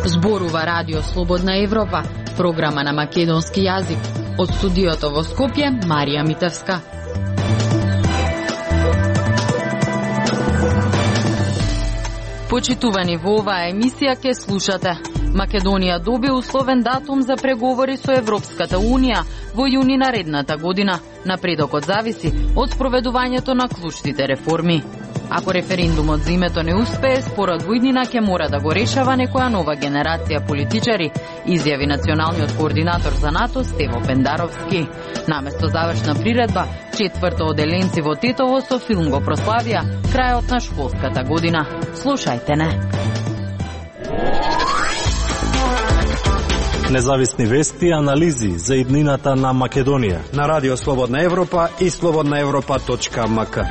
Зборува Радио Слободна Европа, програма на македонски јазик. Од студиото во Скопје, Марија Митевска. Почитувани, во оваа емисија ке слушате: Македонија доби условен датум за преговори со Европската Унија во јуни наредната година. Напредокот зависи од спроведувањето на клучните реформи. Ако референдумот за името не успее, спорот во иднина ќе мора да го решава некоја нова генерација политичари, изјави националниот координатор за НАТО Стево Пендаровски. Наместо завршна приредба, четврто оделенци во Тетово со филм го прославија крајот на школската година. Слушајте не. Независни вести и анализи за иднината на Македонија на Радио Слободна Европа и slobodnaevropa.mk.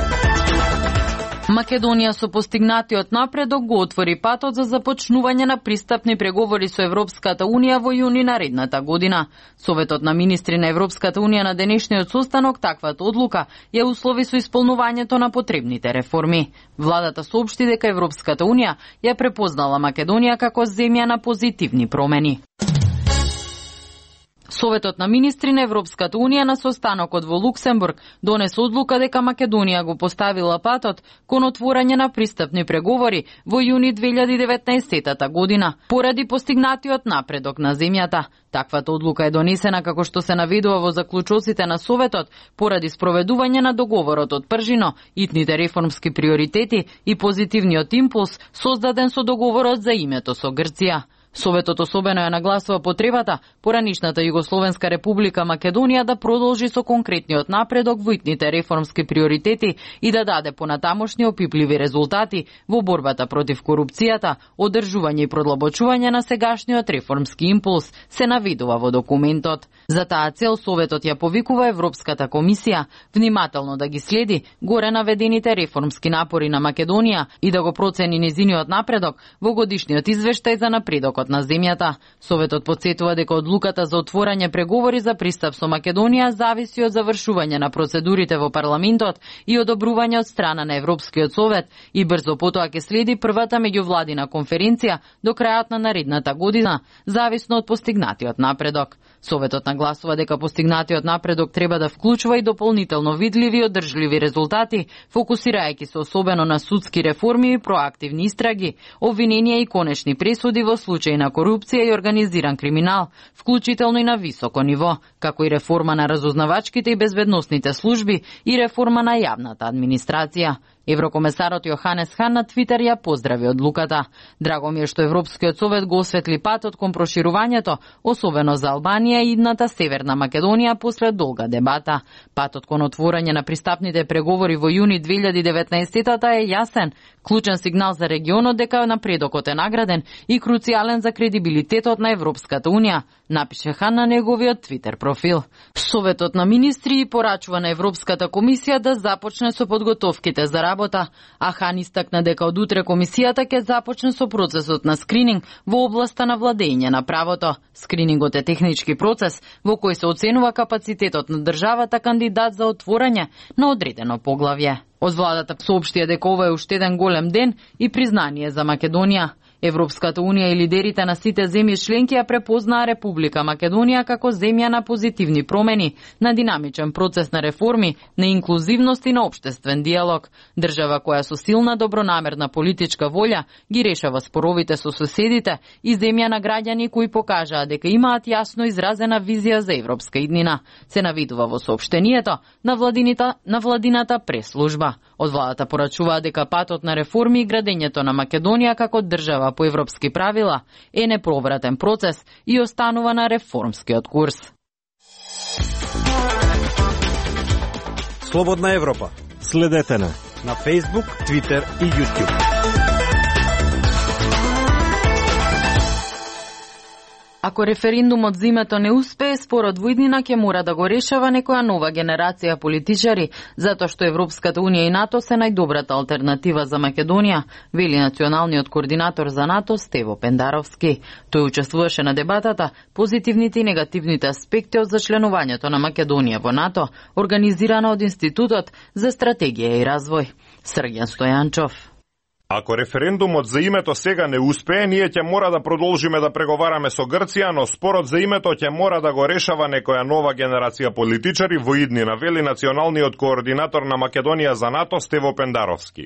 Македонија со постигнатиот напредок го отвори патот за започнување на пристапни преговори со Европската Унија во јуни наредната година. Советот на министри на Европската Унија на денешниот состанок таквата одлука ја услови со исполнувањето на потребните реформи. Владата соопшти дека Европската Унија ја препознала Македонија како земја на позитивни промени. Советот на министри на Европската Унија на состанокот во Луксембург донесе одлука дека Македонија го поставила патот кон отворање на пристапни преговори во јуни 2019 година, поради постигнатиот напредок на земјата. Таквата одлука е донесена, како што се наведува во заклучоците на Советот, поради спроведување на договорот од пржино, итните реформски приоритети и позитивниот импулс создаден со договорот за името со Грција. Советот особено ја нагласува потребата поранишната Југословенска република Македонија да продолжи со конкретниот напредок во итните реформски приоритети и да даде понатамошни опипливи резултати во борбата против корупцијата, одржување и продлабочување на сегашниот реформски импулс, се наведува во документот. За таа цел Советот ја повикува Европската комисија внимателно да ги следи горе наведените реформски напори на Македонија и да го процени низиниот напредок во годишниот извештај за напредокот на земјата. Советот потсетува дека одлуката за отворање преговори за пристап со Македонија зависи од завршување на процедурите во парламентот и одобрување од страна на Европскиот совет и брзо потоа ќе следи првата меѓувладина конференција до крајот на наредната година, зависно од постигнатиот напредок. Советот нагласува дека постигнатиот напредок треба да вклучува и дополнително видливи и одржливи резултати, фокусирајќи се особено на судски реформи и проактивни истраги, обвиненија и конечни пресуди во случаи на корупција и организиран криминал, вклучително и на високо ниво, како и реформа на разузнавачките и безбедносните служби и реформа на јавната администрација. Еврокомесарот Јоханес Хан на Твитер ја поздрави одлуката. Драго ми е што Европскиот совет го осветли патот кон проширувањето, особено за Албанија и идната Северна Македонија после долга дебата. Патот кон отворање на пристапните преговори во јуни 2019 е јасен, клучен сигнал за регионот дека напредокот е награден и круцијален за кредибилитетот на Европската Унија, напише Хан на неговиот Твитер профил. Советот на министри порачува на Европската комисија да започне со подготовките за работа, а Хан истакна дека од утре комисијата ќе започне со процесот на скрининг во областа на владење на правото. Скринингот е технички процес во кој се оценува капацитетот на државата кандидат за отворање на одредено поглавје. Од владата соопштија дека ова е уште еден голем ден и признание за Македонија. Европската Унија и лидерите на сите земји членки ја препознаа Република Македонија како земја на позитивни промени, на динамичен процес на реформи, на инклузивност и на општествен диалог. Држава која со силна добронамерна политичка волја ги решава споровите со соседите и земја на граѓани кои покажаа дека имаат јасно изразена визија за европска иднина, се навидува во соопштението на владината прес-служба. Од владата порачуваа дека патот на реформи и градењето на Македонија како држава по европски правила е неповратен процес и останува на реформскиот курс. Слободна Европа. Следете на Facebook, Twitter и YouTube. Ако референдумот за името не успее, спорот во иднина ќе мора да го решава некоја нова генерација политичари, затоа што Европската унија и НАТО се најдобрата алтернатива за Македонија, вели националниот координатор за НАТО Стево Пендаровски. Тој учествуваше на дебатата позитивните и негативните аспекти од зачленувањето на Македонија во НАТО, организирана од Институтот за стратегија и развој. Срѓан Стојанчов. Ако референдумот за името сега не успее, ние ќе мора да продолжиме да преговараме со Грција, но спорот за името ќе мора да го решава некоја нова генерација политичари во иднина, вели националниот координатор на Македонија за НАТО Стево Пендаровски.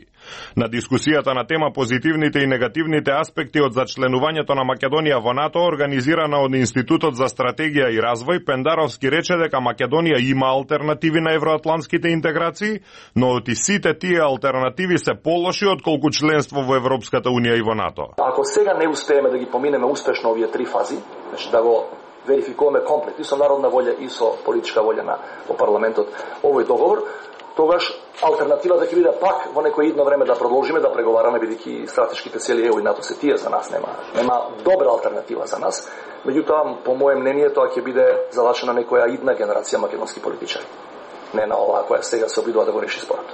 На дискусијата на тема позитивните и негативните аспекти од зачленувањето на Македонија во НАТО, организирана од Институтот за стратегија и развој, Пендаровски рече дека Македонија има алтернативи на евроатлантските интеграции, но од сите тие алтернативи се полоши отколку членство во Европската унија и во НАТО. Ако сега не успееме да ги поминеме успешно овие три фази, значи да го верификуваме комплет и со народна волја и со политичка волја во парламентот овој договор, тогаш алтернативата ќе биде пак во некој идно време да продолжиме да преговараме, бидејќи стратешките цели ЕУ и НАТО се тие за нас, нема добра алтернатива за нас. Меѓутоа, по моје мнение, тоа ќе биде залачена некоја идна генерација македонски политичари. Не на оваа која сега се обидува да го реши спорот.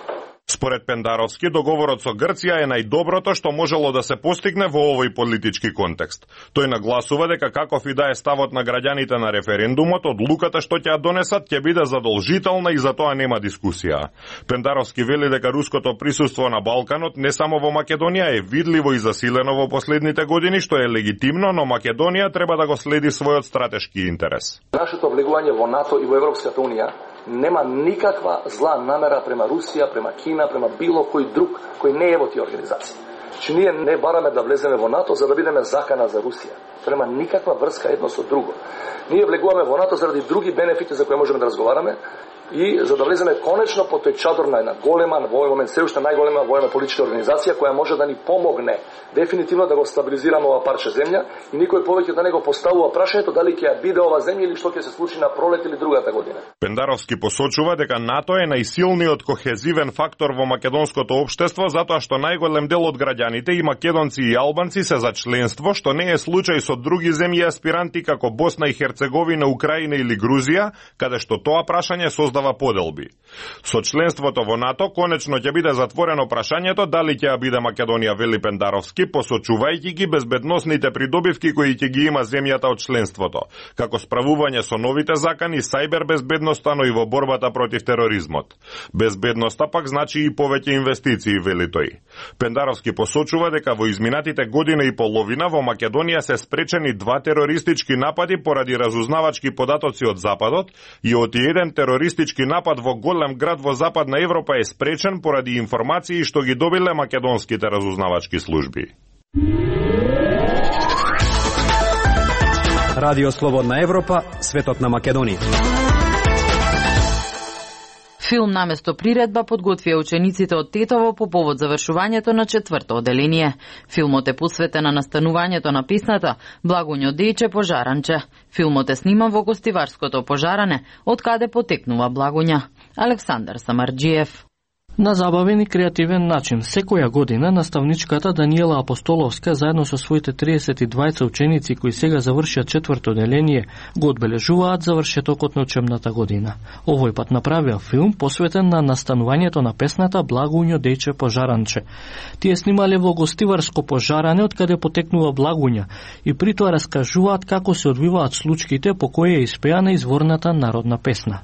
Според Пендаровски, договорот со Грција е најдоброто што можело да се постигне во овој политички контекст. Тој нагласува дека каков и да е ставот на граѓаните на референдумот, одлуката што ќе ја донесат ќе биде задолжителна и за тоа нема дискусија. Пендаровски вели дека руското присуство на Балканот не само во Македонија е видливо и засилено во последните години, што е легитимно, но Македонија треба да го следи својот стратешки интерес. Нашето влегување во НАТО и во Европската унија нема никаква зла намера према Русија, према Кина, према било кој друг кој не е во тие организации. Че ние не бараме да влеземе во НАТО за да бидеме закана за Русија. Према никаква врска едно со друго. Ние влегуваме во НАТО заради други бенефити за кои можеме да разговараме и за да влеземе конечно под тој чадор на една голема, во овој момент се уште најголема воена политичка организација која може да ни помогне дефинитивно да го стабилизираме ова парче земја и никој повеќе да не го поставува прашањето дали ќе ја биде ова земја или што ќе се случи на пролет или другата година. Пендаровски посочува дека НАТО е најсилниот кохезивен фактор во македонското општество затоа што најголем дел од граѓаните и македонци и албанци се за членство, што не е случај со други земји аспиранти како Босна и Херцеговина, Украина или Грузија, каде што тоа прашање создава поделби. Со членството во НАТО конечно ќе биде затворено прашањето дали ќе ја биде Македонија, вели Пендаровски, посочувајќи ги безбедносните придобивки кои ќе ги има земјата од членството, како справување со новите закани, сајбер безбедноста, но и во борбата против тероризмот. Безбедноста пак значи и повеќе инвестиции, вели тој. Пендаровски посочува дека во изминатите година и половина во Македонија се спречени 2 терористички напади поради разузнавачки податоци од Западот и од еден терористички напад во голем град во Западна Европа е спречен поради информации што ги добиле македонските разузнавачки служби. Радио Слободна Европа, светот на Македонија. Филм наместо приредба подготвија учениците од Тетово по повод завршувањето на 4-то оделение. Филмот е посветен на настанувањето на песната Благуњо Дејче Пожаранче. Филмот е сниман во гостиварското Пожаране, од каде потекнува Благуња. Александар Самарџиев. На забавен и креативен начин, секоја година наставничката Даниела Апостоловска заедно со своите 32 ученици кои сега завршиат 4-то оделение го одбележуваат завршетокот на учебната година. Овој пат направија филм посветен на настанувањето на песната Благуњо Дејче Пожаранче. Тие снимале во гостиварско Пожаране од каде потекнува Благуња и притоа раскажуваат како се одвиваат случките по кои е испеана изворната народна песна.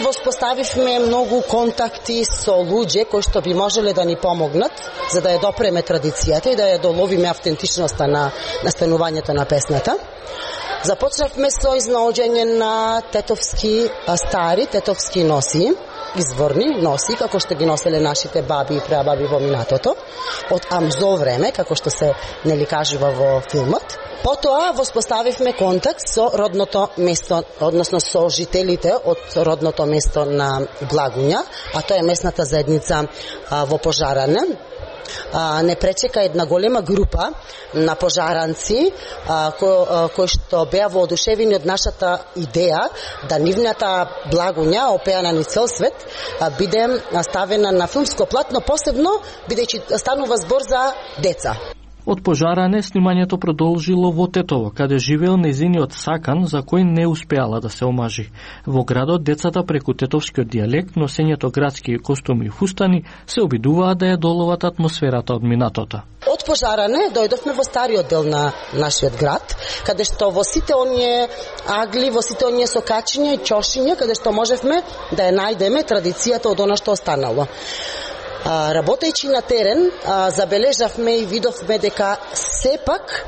Воспоставивме многу контакти со луѓе кои што би можеле да ни помогнат за да ја допреме традицијата и да ја доловиме автентичноста на настанувањето на песната. Започнавме со изнаоѓање на тетовски стари тетовски носи, изворни носи, како што ги носеле нашите баби и прабаби во минатото, од амзо време, како што се нели кажува во филмот. Потоа воспоставивме контакт со родното место, односно со жителите од родното место на Благуња, а тоа е местната заедница во Пожаране. Не пречека една голема група на пожаранци кои што беа воодушевени од нашата идеја да нивната Благуња, опеана низ цел свет, биде ставена на филмско платно, посебно бидејќи станува збор за деца. Од пожаране снимањето продолжило во Тетово, каде живеел нејзиниот сакан за кој не успеала да се омажи. Во градот децата преку тетовскиот дијалект, носењето градски костуми и фустани се обидуваат да ја доловат атмосферата од минатото. Од пожаране дојдовме во стариот дел на нашиот град, каде што во сите оние агли, во сите оние сокачиња и ќошиња, каде што можевме да ја најдеме традицијата од она што останало. Работејќи на терен, забележавме и видовме дека сепак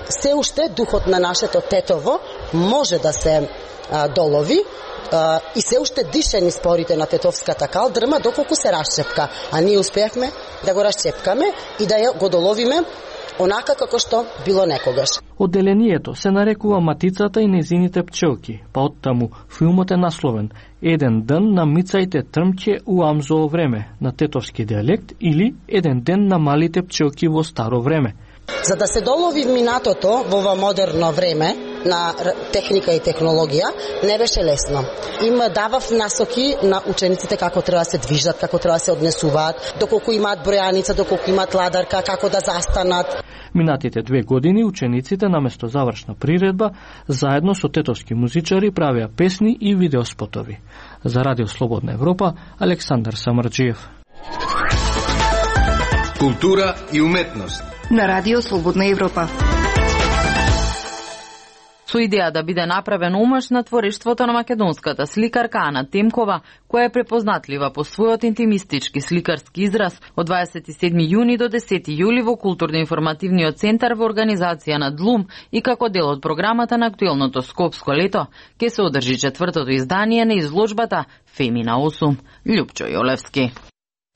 се уште духот на нашето Тетово може да се долови и се уште дише низ порите на тетовската калдрма доколку се расчепка, а ние успеавме да го расчепкаме и да ја го доловиме онака како што било некогаш. Одделението се нарекува Матицата и нејзините пчелки, па оттаму филмот е насловен Еден ден на мицајте трмќе у амзово време на тетовски дијалект или Еден ден на малите пчелки во старо време. За да се долови минатото во ова модерно време на техника и технологија, не беше лесно. Им давав насоки на учениците како треба да се движат, како треба да се однесуваат, доколку имаат бројаница, доколку имаат ладарка, како да застанат. Минатите 2 години учениците наместо завршна приредба, заедно со тетовски музичари правеа песни и видеоспотови. За Радио Слободна Европа, Александар Самарджиев. Култура и уметност на Радио Слободна Европа. Со идеја да биде направен омаж на творештвото на македонската сликарка Ана Темкова, која е препознатлива по својот интимистички сликарски израз, од 27 јуни до 10 јули во Културно-информативниот центар во организација на Длум и како дел од програмата на актуелното Скопско лето, ќе се одржи 4-то издание на изложбата Фемина 8. Љупчо Јолевски.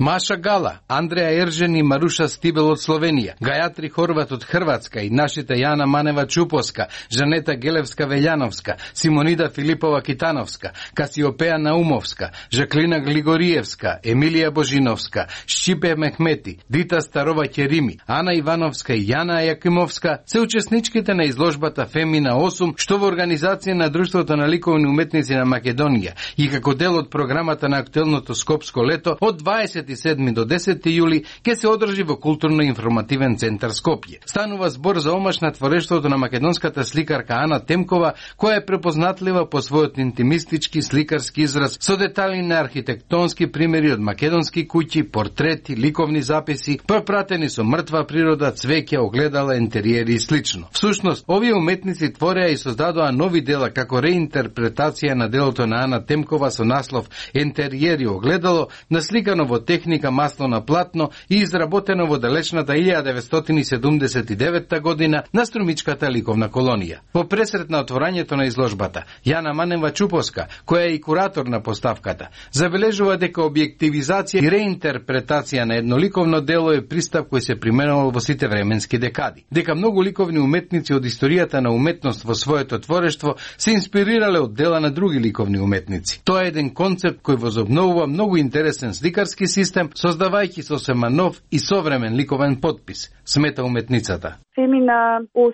Маша Гала, Андреја Ержен и Маруша Стибел од Словенија, Гајатри Хорват од Хрватска и нашите Јана Манева Чупоска, Жанета Гелевска Велјановска, Симонида Филипова Китановска, Касиопеја Наумовска, Жаклина Глигориевска, Емилија Божиновска, Шчипе Мехмети, Дита Старова Керими, Ана Ивановска и Јана Јакимовска се учесничките на изложбата Фемина 8, што во организација на Друштвото на ликовни уметници на Македонија и како дел од програмата на актуелното Скопско лето од 27 до 10 јули ќе се одржи во Културно-информативен центар Скопје. Станува збор за омаш на творештвото на македонската сликарка Ана Темкова, која е препознатлива по својот интимистички сликарски израз со детали на архитектонски примери од македонски куќи, портрети, ликовни записи, пропратени со мртва природа, цвеќе, огледала, интериери и слично. Всушност, овие уметници твореа и создадоа нови дела како реинтерпретација на делото на Ана Темкова со наслов Интериери огледало, насликано во техника масло на платно и изработено во далечната 1979 година на Струмичката ликовна колонија. По пресрет на отворањето на изложбата, Јана Манева Чупоска, која е и куратор на поставката, забележува дека објективизација и реинтерпретација на едно ликовно дело е пристап кој се применувал во сите временски декади. Дека многу ликовни уметници од историјата на уметност во своето творештво се инспирирале од дела на други ликовни уметници. Тоа е еден концепт кој возобновува многу интересен сликарски систем, создавајќи сосема нов и современ ликовен подпис, смета уметницата. Фемина 8,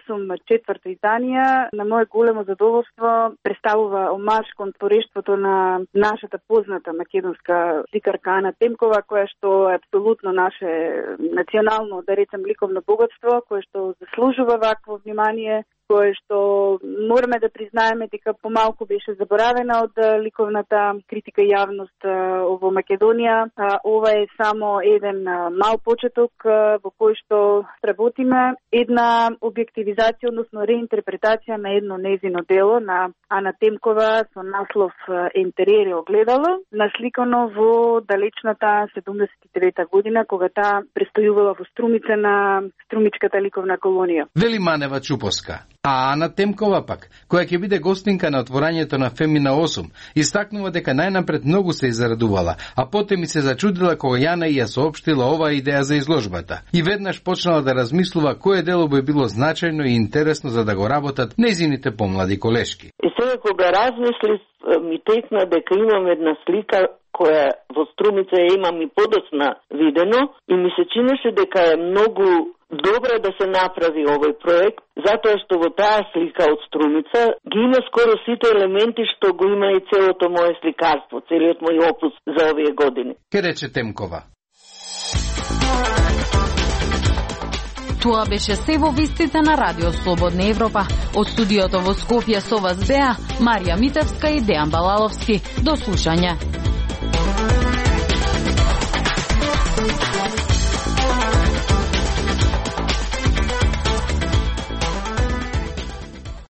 4-то издание, на моје големо задоволство, представува омаж кон творештвото на нашата позната македонска сликарка Ана Темкова, која што е апсолутно наше национално, да речем, ликовно богатство, кое што заслужува вакво внимание, кое што мораме да признаеме дека помалку беше заборавена од ликовната критика и јавност во Македонија. Ова е само еден мал почеток во кој што работиме една објективизација, односно реинтерпретација на едно нејзино дело на Ана Темкова со наслов Интериери огледало, насликано во далечната 79 година, кога таа престојувала во Струмица на Струмичката ликовна колонија. Вели Манева Чупоска. А Ана Темкова пак, која ќе биде гостинка на отворањето на Фемина 8, истакнува дека најнапред многу се израдувала, а потем и се зачудила кога Јана ја соопштила оваа идеја за изложбата. И веднаш почнала да размислува кое дело би било значајно и интересно за да го работат нејзините помлади колешки. И сега кога размислив, ми текна дека имам една слика која во Струмица ја имам и подоцна видено и ми се чинеше дека е многу добро да се направи овој проект, затоа што во таа слика од Струмица ги има скоро сите елементи што го има и целото моје сликарство, целиот мој опус за овие години. Ке рече Темкова. Тоа беше се во вестите на Радио Слободна Европа. Од студиото во Скопје со вас беа Марија Митевска и Дејан Балаловски. До слушање.